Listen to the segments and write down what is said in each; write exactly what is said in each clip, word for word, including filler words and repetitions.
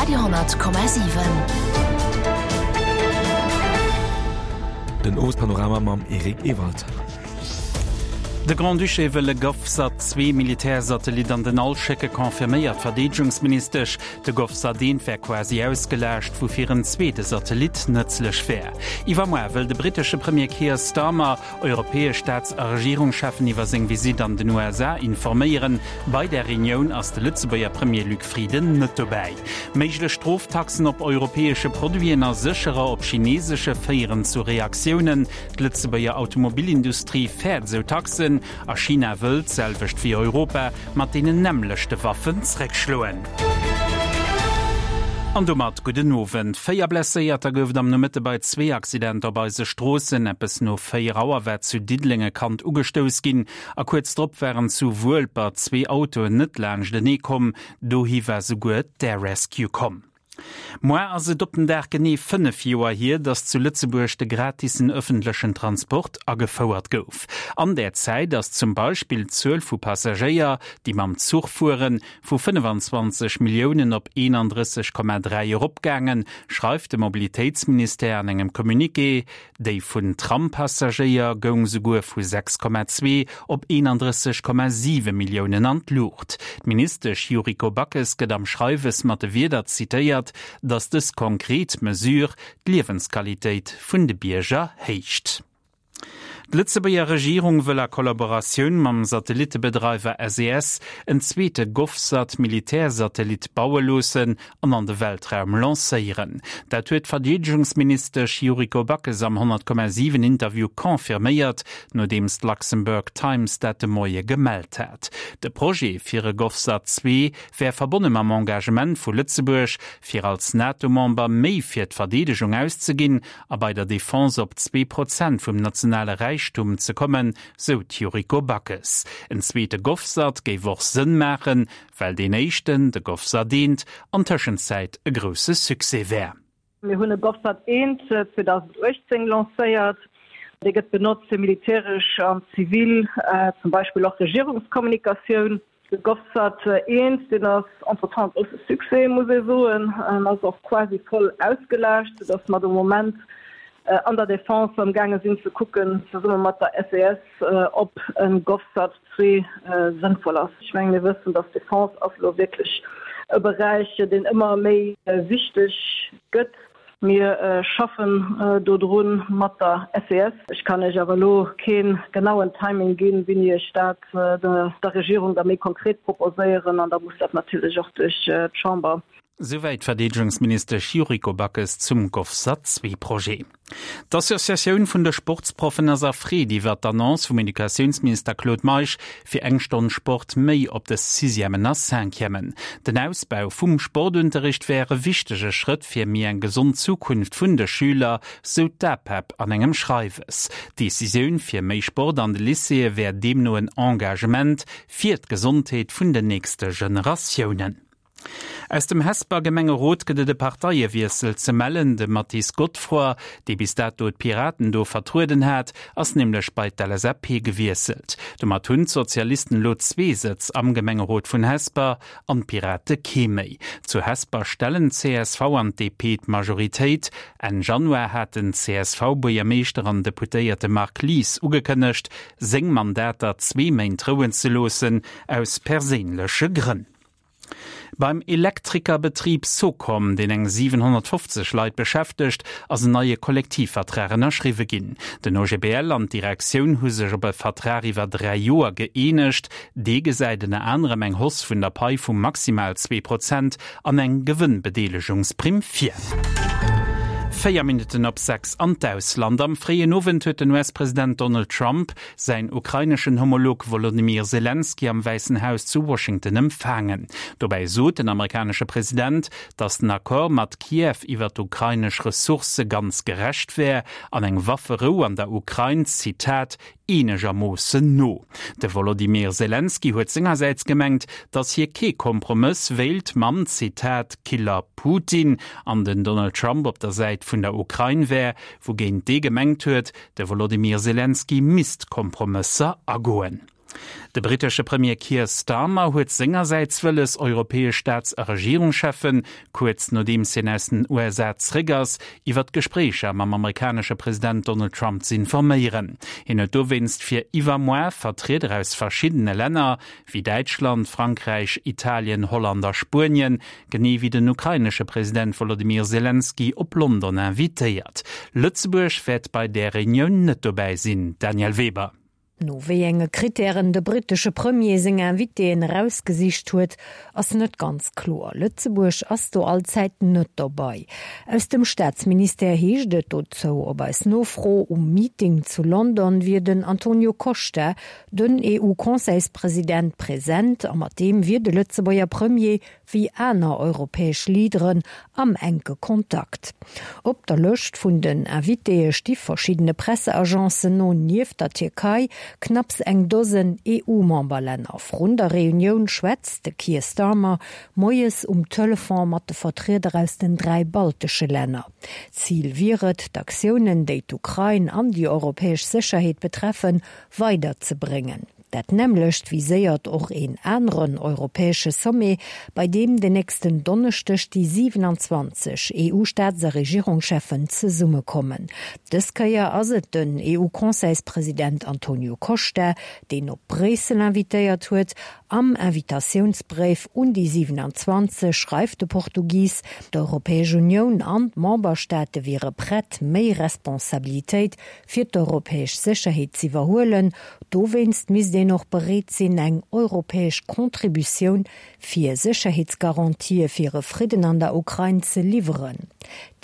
Radio honnert Komma siwen. Den Owespanorama mam Eric Ewald. De Grand-Duché wëll e GovSat zwee Militärsatellit an den All schécke, confirméiert d'Verdeedegungsministesch. De GovSat eent wär quasi ausgelaascht, woufir en zweete Satellit nëtzlech wär. Iwwermuer wëll de brittesche Premier Keir Starmer europäesch Staats a Regierungscheffen iwwer seng Visitt an den U S A informéieren. Bei där Reunioun ass de Lëtzebuerger Premier Luc Frieden net dobäi. Méiglech Stroftaxen op europäesche Produiten a sécherer op chinesesche féieren zu Reaktiounen. D'Lëtzebuerger Automobilindustrie fäert esou Taxen. A China wëll, d'selwecht wéi Europa, mat deenen nämmlechte Waffen zréckschloen. An domat gudden Owend. Véier Blesséierter gouf et am Nomëtte bei zwee Accidenter op eise Stroossen. Eppes no véier Auer war zu Diddeleng e Kand ugestouss ginn. A kuerz drop waren zu Wuelper zwee Autoen net laanschtenee komm. Dohi war souguer d'Air Rescue komm. Moar ass et op den Dag genee fënnef Joer hier, datt zu Lëtzebuerg de gratisen ëffentlechen Transport agefouert gouf. An där Zäit ass zum Beispill d'Zuel vu Passagéier, déi mam Zuch fueren, vu fënnefanzwanzeg Milliounen op eenandrësseg Komma dräi eropgaangen, schreift de Mobilitéitsministère an engem Communiqué. Déi vun Trampassagéier goung souguer vu sechs Komma zwee op eenandrësseg Komma siwe Milliounen an d'Luucht. D'Ministesch Yuriko Backes gëtt am Schreiwes mat de Wierder zitéiert, datt dës konkret Mesure d'Liewensqualitéit vun de Bierger héicht. D'Lëtzebuerger Regierung wëll a Kollaboratioun mam Satellitebedreiwer S E S en zweete GovSat-Militärsatellit baue loossen an an de Weltraum lancéieren. Dat huet d'Verdeedegungsministesch Yuriko Backes am honnert Komma siwen Interview confirméiert, nodeems d'Luxembourg Times dat de Moie gemellt hat. De Projet fir e GovSat zwee wär verbonne mam Engagement vu Lëtzebuerg, fir als NATO-Member méi fir d'Verdeedegung auszeginn a bei der Defense op zwee Prozent vum nationale Räichtum ze kommen, sou d'Yuriko Backes. En zweete GovSat géif och Sënn maachen, well deen éischten, de GovSat eent, an Tëschenzäit e grousse Succès wär. Mir hunn e GovSat eent zweetausenduechtzéng lancéiert. Dee gëtt benotzt fir militäresch an zivil, äh, zum Beispill och Regierungskommunikatioun. De GovSat eent, deen ass entretemps grosse Succès, muss ich soen, en ass och quasi voll ausgelaascht, sodass mer de Moment, äh, an der Defense am Gange sinn ze kucken, zesumme mat der S E S, äh, ob en GovSat zwee, äh, sinnvoll ass. Ich meine, wir wëssen, dass Defense ass lo wirklich e Bereich, deen ëmmer méi, äh, wichteg gëtt. Mir, äh, schaffen, äh, do drun mat der S E S. Ich kann euch awer lo keen genauen Timing ginn, wéini ech dat, äh, der, der Regierung da méi konkret proposéieren, an da muss dat natürlich och durch, äh, d'Chamber. Souwäit Verdeedegungsministesch Yuriko Backes zum GovSat zwee Projet. D'Associatioun vun de Sportsproffen ass erfreet iwwer d'Annonce vum Educatiounsminister Claude Meisch fir eng Stonn Sport méi op de Sixièmen a Cinquièmen. Den Ausbau vum Sportunterricht wär e wichtege Schrëtt fir méi eng gesond Zukunft vun de Schüler, sou d'A P E P an engem Schreiwes. D'Decisioun fir méi Sport an de Lycéeë wär deemno en Engagement fir d'Gesondheet vun den nächste Generatiounen. Aus dem Hesper Gemengerot gëtt et e Parteiewiessel ze mellen. De Mathis Godefroid, dee bis dato d'Piraten do vertrueden hat, ass nämlech bei d'L S A P gewiesselt. Domat hunn d'Sozialisten lo zwee Sëtz am Gemengerot vun Hesper an d'Pirate kee méi. Zu Hesper stellen C S V an D P d'Majoritéit. Enn Januar hat den C S V-Buergermeeschter an Deputéierte Marc Lies ugekënnegt, seng Mandater zwee Méint rouen ze loossen, aus perséinleche Grënn. Beim Elektrikerbetrieb Socom, deen eng siewenhonnertfofzeg Leit beschäftegt, ass en neie Kollektivvertrag ënnerschriwwe ginn. Den O G B L an d'Direktioun hu sech op e Vertrag iwwer dräi Joer gëeenegt. Dee gesäit ënner anerem eng Hausse vun der Pai vu maximal zwee Prozent an eng Gewënnbedeelegungsprimm vir. Véier Minuten op sechs an d'Ausland. Am fréien Owend huet den U S-President Donald Trump säin ukraineschen Homolog Volodymyr Zelensky am Weißen Haus zu Washington empfangen. Dobäi sot den amerikanesche President, datt den Accord mat Kiew iwwer d'ukrainesch Ressourcë ganz gerecht wär an eng Wafferou an der Ukrain, Zitat, eenegermoossen no. De Volodymyr Zelensky huet sengersäits gemengt, datt hie kee Kompromiss wéilt mam, Zitat, Killer Putin an den Donald Trump op der Säit vun der Ukrain wär, wougéint dee gemengt huet, de Volodymyr Zelensky misst Kompromësser agoen. De brittesche Premier Keir Starmer huet sengersäits wëlles, europäesch Staats a Regierungscheffen, kuerz nodeems hien aus den USA zréck ass, iwwer d'Gespréicher mam amerikanesche President Donald Trump z'informéieren. Hien huet dowéinst fir iwwermuer Vertrieder aus verschiddene Länner, wéi Däitschland, Frankräich, Italien, Holland a Spuenien, genee wéi den ukrainesche President Wolodymyr Selenskyj op London invitéiert. Lëtzebuerg wäert bei där Reunioun net dobäi sinn. Danièle Weber. No wéi enge Krittären de brittesche Premier seng Invitéen erausgesicht huet, ass net ganz kloer. Lëtzebuerg ass do allzäit net dobäi. Aus dem Staatsministère heescht et dozou op eis Nofro, um Meeting zu London wier den Antonio Costa, den EU-Conseilspresident, present a mat deem wier de Lëtzebuerger Premier wéi aner europäesch Leaderen am enke Kontakt. Op der Lëscht vun den Invitéë sti verschiddene Presseagencen no nieft der Tierkei knapps eng Dosen EU-Memberlänner. Vrun der Reunioun schwätzt de Keir Starmer moies um Telefon mat de Vertrieder aus den dräi baltesche Länner. Zil wier et, d'Aktiounen, déi d'Ukrain an déi europäesch Sécherheet betreffen, weiderzebréngen. Dat nämmlecht viséiert och een aneren europäesche Sommet, bei deem den nächsten Donneschdeg déi siewenanzwanzeg EU-Staats a Regierungscheffen zesummekommen. Dës Kéier ass et den EU-Conseilspresident Antonio Costa, deen op Bréissel invitéiert huet. Am Invitatiounsbréif un déi siewenanzwanzeg schreift de Portugis, d'Europäesch Unioun an d'Memberstaate wiere prett, méi Responsabilitéit fir d'europäesch Sécherheet z'iwwerhuelen. Dowéinst misst een och bereet sinn, eng europäesch Contributioun fir Sécherheetsgarantië fir e Fridden an der Ukrain ze liwweren.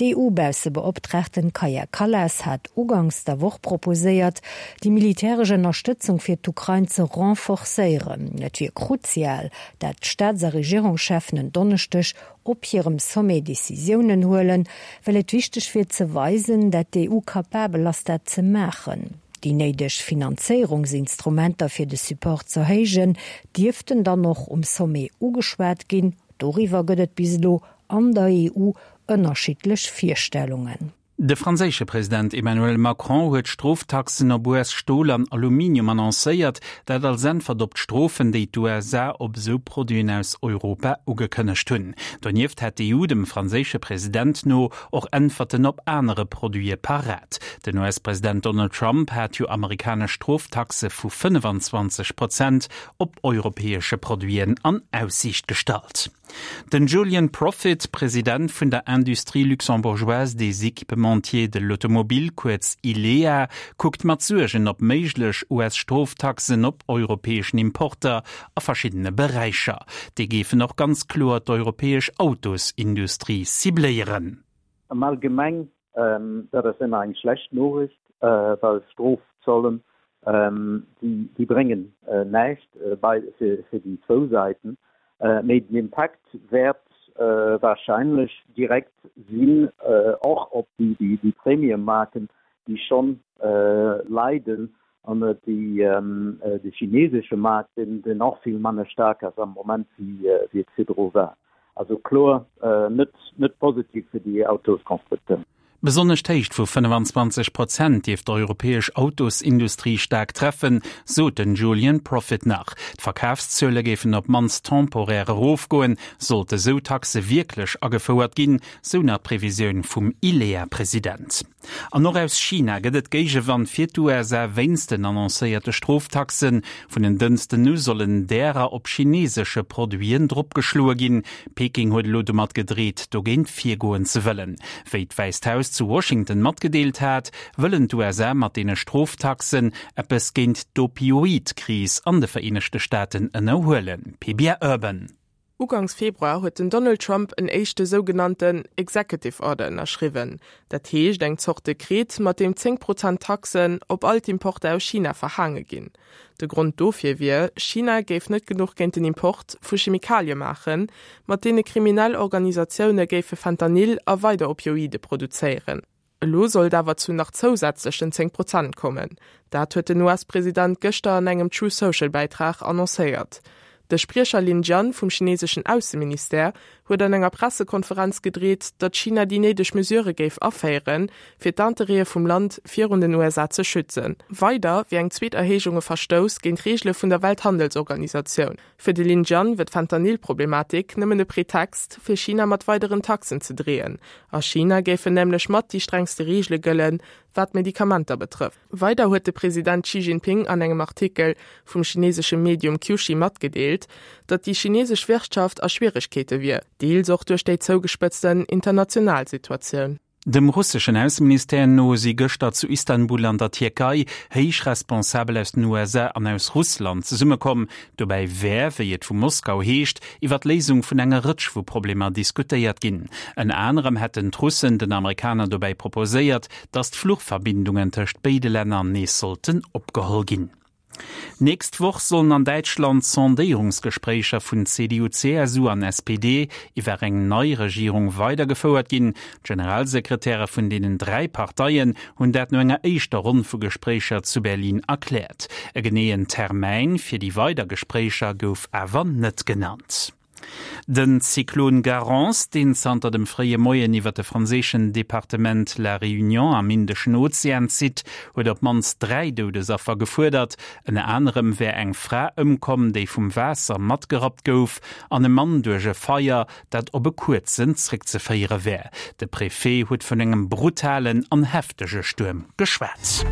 D'EU-Baussebeoptraagten Kaja Kallas hat uganks der Woch proposéiert, déi militäresch Ënnerstëtzung fir d'Ukrain ze renforcéieren. Et wier kruzial, dat d'Staats a Regierungscheffen en Donneschdeg op hirem Sommet Decisiounen huelen, well et wichteg wier ze weisen, dat d'EU kapabel ass dat ze maachen. Déi néideg Finanzéierungsinstrumenter fir de Support z'erhéijen, dierften dann och um Sommet ugeschwat ginn. Doriwwer gëtt et bis elo an der EU ënnerschiddlech Virstellungen. De franséische President Emmanuel Macron huet Stroftaxen op U S-Stol an Aluminium annoncéiert, dat als Äntwert op d'Strofen, déi d'USA op esou Produiten aus Europa ugekënnegt hunn. Donieft hätt d'EU dem franséische President no och Äntwerten op anere Produite parat. Den U S-President Donald Trump hat jo amerikanesch Stroftaxe vu fënnefanzwanzeg Prozent op europäesche Produiten an Aussiicht gestallt. Den Julien Proffitt, President vun der Industrie luxembourgeoise des équipementiers de l'automobile, kuerz ILEA, kuckt mat Suergen op méiglech U S-Stroftaxen op europäeschen Importer a verschiddene Beräicher. Déi géifen och ganz kloer d'europäesch Autosindustrie cibléieren. Am Allgemeng, dat ass ëmmer eng schlecht Noriicht, well Strofzollen, déi bréngen näischt fir déi zwou Säiten. Mee den Impakt wäert warscheinlech direkt sinn och op déi Premium-Marken, déi schonn leiden, an de chinesesche Maart, deen och vill manner staark ass am Moment wéi et virdru war. Also kloer net positiv fir déi Autosconstructeuren. Besonnesch d'Héicht vu fënnefanzwanzeg Prozent dierft d'europäesch Autosindustrie staark treffen, sot den Julien Proffitt nach. D'Verkafszuele géifen op d'mannst temporär erofgoen, sollte sou Taxe wierklech agefouert ginn, sou nach d'Previsioun vum ILEA-President. An och aus China gëtt et Géigewand fir d'USA wéinst den annoncéierte Stroftaxen. Vun en Dënschden u sollen därer op chinesesche Produiten dropgeschloe ginn. Peking huet elo domat gedreet, dogéint virgoen ze wëllen. Wéi d'Wäisst Haus zu Washington matgedeelt hat, wëllen d'USA mat deene Stroftaxen eppes géint d'Opioid-Kris an de Vereenegte Staaten ënnerhuelen. P B A Urban. Ugangs Februar huet den Donald Trump en éischte sougenannten Executive Order ënnerschriwwen. Dat heescht eng Zort Dekret, mat deem zéng Prozent Taxen op all d'Importer aus China verhaange ginn. De Grond dofir wier, China géif net genuch géint den Import vu Chemikalie maachen, mat deene kriminell Organisatioune géife Fentanyl a weider Opioide produzéieren. Elo soll et awer zu nach zousätzlechen zéng Prozent kommen. Dat huet den U S-President gëschter an engem Truth Social-Bäitrag annoncéiert. De Spriecher Lin Jian vum chineeseschen Ausseministère huet an enger Pressekonferenz gedreet, datt China déi néideg Mesurë géif aféieren, fir d'Interêtë vum Land virun den U S A ze schützen. Weider wier eng zweet Erhéijung e Verstouss géint d'Reegele vun der Welthandelsorganisatioun. Fir de Lin Jian wier d'Fentanyl-Problematik nëmmen e Pretext, fir China mat weideren Taxen ze dreeën. A China géifen nämlech mat déi strengste Reegele gëllen, wat Medikamenter betrëfft. Weider huet de President Xi Jinping an engem Artikel vum chineesesche Medium Qiushi matgedeelt, datt déi chineesesch Wirtschaft a Schwieregkeete wier, deels och duerch déi zougespëtzten international Situatioun. Dem russeschen Ausseministère no si gëschter zu Istanbul an der Tierkei héich Responsabel aus den U S A an aus Russland zesummekomm. Dobäi wär, wéi et vu Moskau heescht, iwwer d'Léisung vun enger Rëtsch vu Problemer diskutéiert ginn. Ënner anerem hätten d'Russen den Amerikaner dobäi proposéiert, datt d'Fluchverbindungen tëscht béide Länner nees sollten opgeholl ginn. Nächst Woch sollen an Däitschland Sondéierungsgespréicher vun C D U, C S U an S P D iwwer eng nei Regierung weidergefouert ginn. D'Generalsekretäre vun deenen dräi Parteien hunn dat no enger éischter Ronn vu Gespréicher zu Berlin erkläert. E geneeën Termäin fir déi weider Gespréicher gouf awer net genannt. Den Zyklon Garance, deen zanter dem fréie Moien iwwer de franséischen Departement La Réunion am Indeschen Ozean zitt, huet op d'mannst dräi Doudesaffer gefuerdert. Ënner anerem wär eng Fra ëmkomm, déi vum Waasser matgerappt gouf, an e Mann duerch e Feier, dat op e kuerzen zréckzeféiere wär. De Prefet huet vun engem brutalen an heftege Stuerm geschwat.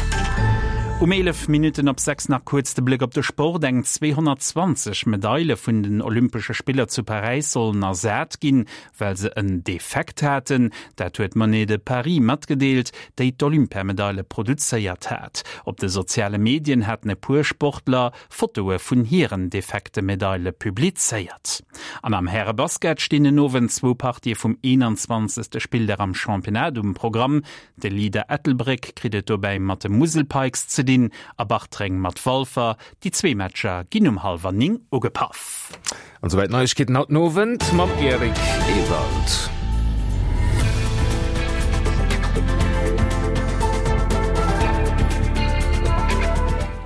Um eelef Minutten op sechs nach kuerz de Bléck op de Sport. Eng zweehonnertzwanzeg Medaile vun den Olympesche Spiller zu Paräis sollen ersat ginn, well se en Defekt haten. Dat huet Monnaie de Paris matgedeelt, déi d'Olympiamedaile produzéiert hat. Op de soziale Medien haten e puer Sportler Fotoe vun hiren defekte Medaile publizéiert. An am Härebasket stinn den Owend zwou Partië vum eenanzwanzegste Spilldag am Championnat um Programm. De Leader Ettelbréck kritt et dobäi mat de Musel Pikes ze dinn a Bartreng mat Walfer. Déi zwee Matcher ginn um hallwer néng ugepaff. An souwäit Neiegkeeten haut den Owend mam Eric Ewald.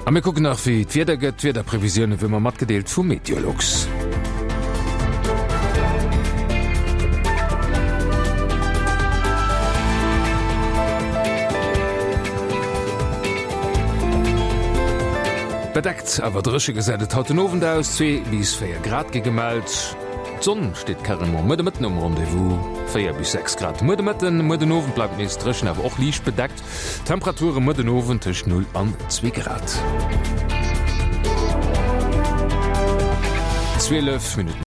A mir kucken nach wéi d'Wieder gëtt. D'Wiederprevisioune wéi ëmmer matgedeelt vu Meteolux. Bedeckt awer dréche gesäit et haut den Owend aus, zwee bis véier Grad gi gemellt. D'Sonn steet carrément muer de Mëtten um Rendez-vous, véier bis sechs Grad muer de Mëtten. Muer den Owend bleift nees dréchen, awer och liicht bedeckt. Temperature muer den Owend tëscht null an zwee Grad. Zwielef Minutten.